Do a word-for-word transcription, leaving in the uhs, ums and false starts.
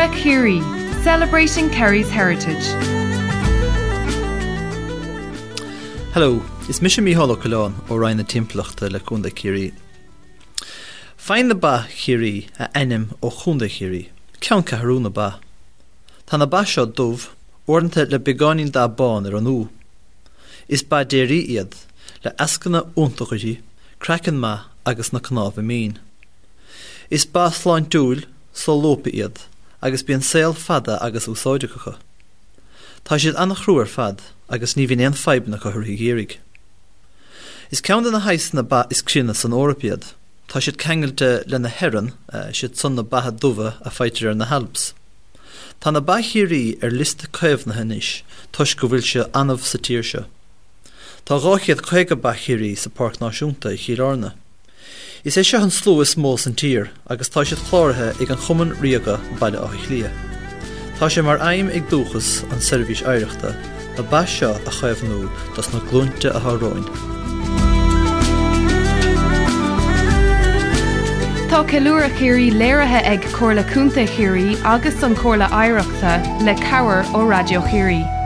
Ceiliúradh Chiarraí, celebrating Kerry's heritage. Hello, is mise Mícheál Ó Coileáin ó Roinn na Timpeallachta le Contae Chiarraí. Faigheann na ba Chiarraí a ainm ó Chontae Chiarraí, ceanncheathrú na ba. Tá na ba seo dubh, uaireanta le beagáinín dath bán ar an úth. Is ba déirí iad, le eascanna iontacha uirthi, craiceann maith agus na cnámha mín. Is ba sláintiúil, solúbtha iad, agus bíonn saol fada agus úsáideach acu. Tá siad an-chrua ar fad agus ní bhíonn aon fadhbanna acu i rith an gheimhridh. Is ceann de na saghsanna ba is críonna san Eoraip iad. Tá siad ceangailte le na hEren, siad san na beatha dubha a faightear ar na hAlps. Tá na ba Chiarraí ar liosta caomhnaithe anois toisc go bhfuil siad annamh sa tír seo. Tá dhá chéad caoga ba Chiarraí sa Páirc Náisiúnta i Chill Airne. Is é seo an slua is mó san tír agus tá siad cláraithe ag an Chumann Ríoga Baile Átha Cliath. Tá sé mar aidhm ag Dúchas an seirbhís oidhreachta na ba seo a chaomhnú dos na glúinte atá romhainn. Tá Ceiliúradh Chiarraí léirithe ag Comhairle Contae Chiarraí agus an Chomhairle Oidhreachta le cabhair ó Raidió Chiarraí.